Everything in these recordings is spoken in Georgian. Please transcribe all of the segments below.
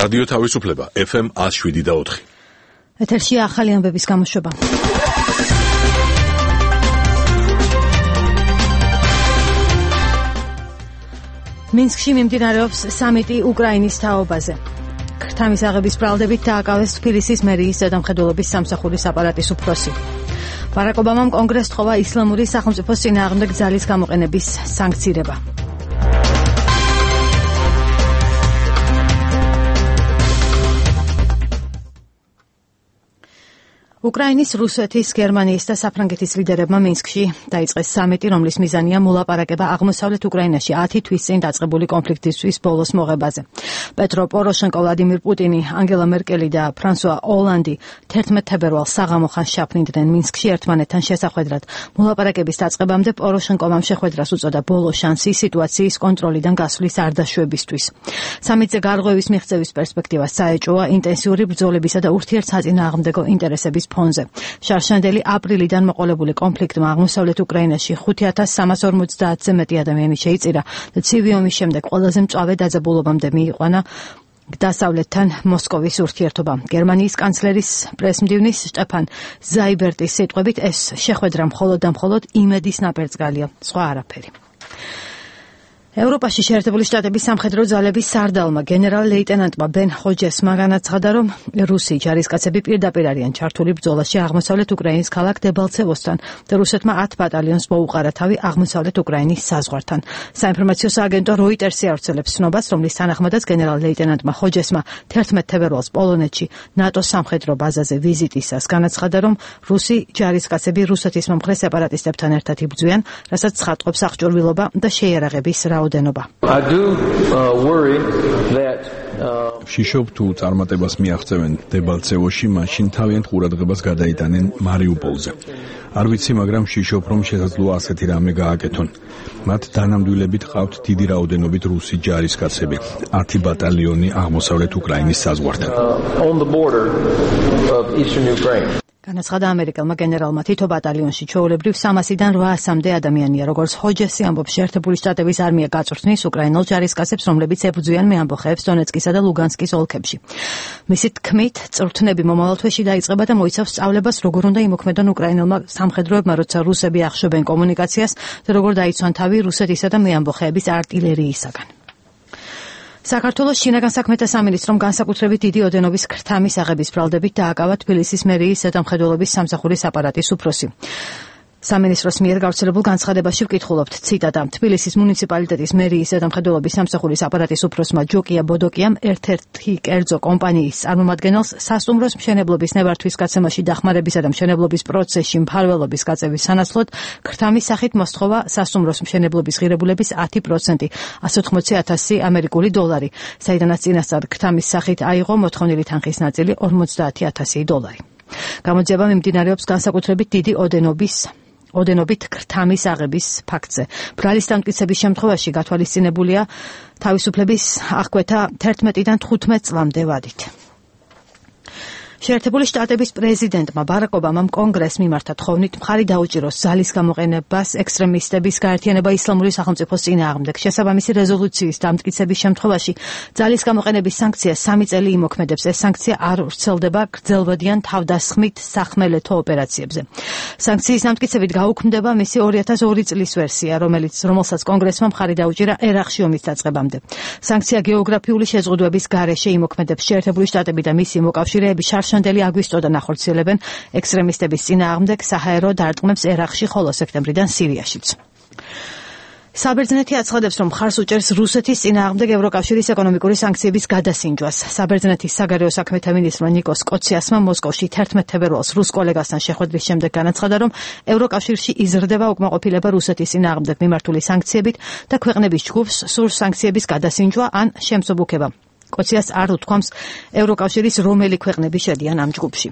რადიო თავისუფლება FM 107.4. ეთერში ახალი ამბების გამოშვება. მინსკში მიმდინარეობს სამიტი უკრაინის თაობაზე. ქრთამის აღების ბრალდებით დააკავეს თბილისის მერიის ზედამხედველობის სამსახურის აპარატის უფროსი. ბარაკ ობამამ კონგრესს თხოვა ისლამური სახელმწიფოს წინააღმდეგ ძალის გამოყენების სანქცირება. უკრაინის, რუსეთის, გერმანიის და საფრანგეთის ლიდერებმა მინსკში დაიწყეს სამიტი, რომლის მიზანია მოლაპარაკება აღმოსავლეთ უკრაინაში 10 თვის წინ დაწყებული კონფლიქტისთვის ბოლოს მოღებაზე. პეტრო პოროშენკო, ვლადიმირ პუტინი, ანგელა მერკელი და ფრანსუა ოლანდი 11 თებერვალს საღამო ხანს შაფრინდნენ მინსკში ერთმანეთთან შესახვედრად. მოლაპარაკების დაწყებამდე პოროშენკომ შეხვედრას უწოდა ბოლო შანსი სიტუაციის კონტროლიდან გასვლის არ დაშვებისთვის. სამიტზე გარღვევის მიღწევის პერსპექტივა საეჭვოა ინტენსიური ბრძოლებისა და ურთიერთსაწინააღმდეგო ინტერესების ფონზე. შარშანდელი აპრილიდან მოყოლებული კონფლიქტმა აღმოსავლეთ უკრაინაში 5350-ზე მეტი ადამიანი შეიწირა და ცივი ომის შემდეგ ყველაზე მწვავე დაძაბულობამდე მიიყვანა დასავლეთთან მოსკოვის ურთიერთობა. გერმანიის კანცლერის პრესმდივნის შტეფან ზაიბერტის სიტყვებით ეს შეხვედრა მხოლოდ და მხოლოდ იმედის ნაპერწკალია, სხვა არაფერი. ევროპაში შეერთებული შტატების სამხედრო ძალების სარდალმა გენერალ-ლეიტენანტმა ბენ ჰოჯესმა განაცხადა, რომ რუსი ჯარისკაცები პირდაპირ არიან ჩართული ბრძოლაში აღმოსავლეთ უკრაინის ქალაქ დებალცევოსთან და რუსეთმა 10 ბატალიონს მოუყარა თავი აღმოსავლეთ უკრაინის საზღვართან. საინფორმაციო სააგენტო როიტერსი ავრცელებს ცნობას, რომლის თანახმადაც გენერალ-ლეიტენანტმა ჰოჯესმა 11 თებერვალს პოლონეთში ნატოს სამხედრო ბაზაზე ვიზიტისას განაცხადა, რომ რუსი ჯარისკაცები რუსეთის მომხრე სეპარატისტებთან ერთად იბრძვიან, რასაც ცხადყოფს აღჭურვილობა და შეიარაღების შიშობ თუ წარმატებას მიაღწევენ დებალცევოში, მაშინ თავიანთ ყურადღებას გადაიტანენ მარიუპოლზე. არ ვიცი, მაგრამ შიშობ, რომ შესაძლოა ასეთი რამე გააკეთონ. მათ დანამდვილებით ყავთ დიდი რაოდენობით რუსი ჯარისკაცები, 10 ბატალიონი აღმოსავლეთ უკრაინის საზღვართან. განაცხადა ამერიკელმა გენერალმა, თითო ბატალიონში ჩვეულებრივ 300-დან 800-მდე ადამიანია. როგორც ჰოჯესი ამბობს, შეერთებული შტატების არმია გაწვრთნის უკრაინელ ჯარისკაცებს, რომლებიც ებრძვიან მეამბოხეებს დონეცკისა და ლუგანსკის ოლქებში. მისი თქმით, წვრთნები მომავალ თვეში დაიწყება და მოიცავს სწავლებას, როგორ უნდა იმოქმედონ უკრაინელმა სამხედროებმა, როცა რუსები ახშობენ კომუნიკაციას და როგორ დაიცვან თავი რუსეთისა და მეამბოხეების არტილერიისაგან. საქართველოს შინაგან საქმეთა სამინისტრომ განსაკუთრებით დიდი ოდენობის ქრთამის აღების ბრალდებით დააკავა თბილისის მერიის ზედამხედველობის სამსახურის აპარატის უფროსი. სამინისტროს მიერ გავრცელებულ განცხადებაში ვკითხულობთ, ციტატა: თბილისის მუნიციპალიტეტის მერიის ზედამხედველობის სამსახურის აპარატის უფროსმა ჯოკია ბოდოკიამ ერთ-ერთი კერძო კომპანიის წარმომადგენელს სასტუმროს მშენებლობის ნებართვის გაცემაში დახმარებისა და მშენებლობის პროცესში მფარველობის გაწევის სანაცვლოდ ქრთამის სახით მოსთხოვა სასტუმროს მშენებლობის ღირებულების 10%, 180,000 ამერიკული დოლარი, საიდანაც წინასწარ ქრთამის სახით აიღო მოთხოვნილი თანხის ნაწილი 50,000 დოლარი. გამოძიება მიმდინარეობს განსაკუთრებით დიდი ოდენობით ქრთამის აღების ფაქტზე. ბრალის დამტკიცების შემთხვევაში გათვალისწინებულია თავისუფლების აღკვეთა 11-დან 15 წლამდე ვადით. შეერთებული შტატების პრეზიდენტმა ბარაკ ობამამ კონგრესს მიმართა თხოვნით მხარი დაუჭიროს ძალის გამოყენებას ექსტრემისტების გაერთიანება ისლამური სახელმწიფოს წინააღმდეგ. შესაბამისი რეზოლუციის დამტკიცების შემთხვევაში ძალის გამოყენების სანქცია 3 წელი იმოქმედებს. ეს სანქცია არ ვრცელდება გრძელვადიან თავდასხმით სახმელეთო ოპერაციებზე. სანქციის დამტკიცებით გაუქმდება მისი 2002 წლის ვერსია, რომელსაც კონგრესმა მხარი დაუჭირა ერაყში ომის დაწყებამდე. სანქცია გეოგრაფიული შეზღუდვების გარეშე იმოქმედებს. შეერთებული შტატები და მისი მოკავშირეები შანდელი აგვისტოდან ახორციელებენ ექსტრემისტების წინააღმდეგ საჰაერო დარტყმებს ერაყში, ხოლო სექტემბრიდან სირიაშიც. საბერძნეთი აცხადებს, რომ მხარს უჭერს რუსეთის წინააღმდეგ ევროკავშირის ეკონომიკური სანქციების გადასინჯვას. საბერძნეთის საგარეო საქმეთა მინისტრმა ნიკოს კოციასმა მოსკოვში 11 თებერვალს რუს კოლეგასთან შეხვედრის შემდეგ განაცხადა, რომ ევროკავშირში იზრდება უკმაყოფილება რუსეთის წინააღმდეგ მიმართული სანქციებით და ქვეყნების ჯგუფს სურს სანქციების გადასინჯვა ან შემსუბუქება. კოციას არ უთქვამს ევროკავშირის რომელი ქვეყნები შედიან ამ ჯგუფში.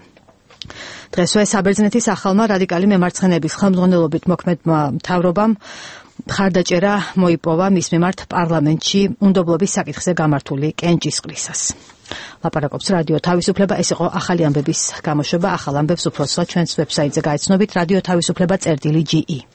დღესვე საბერძნეთის ახალმა რადიკალი მემარცხენეების ხელმძღვანელობით მოქმედმა მთავრობამ მხარდაჭერა მოიპოვა მის მიმართ პარლამენტში უნდობლობის საკითხზე გამართული კენჭისყრისას. ლაპარაკობს რადიო თავისუფლება. ეს იყო ახალი ამბების გამოშვება. ახალ ამბებს უფრო სხვა ჩვენს ვებსაიტზე გაიცნობით radio-tavisupleba.ge.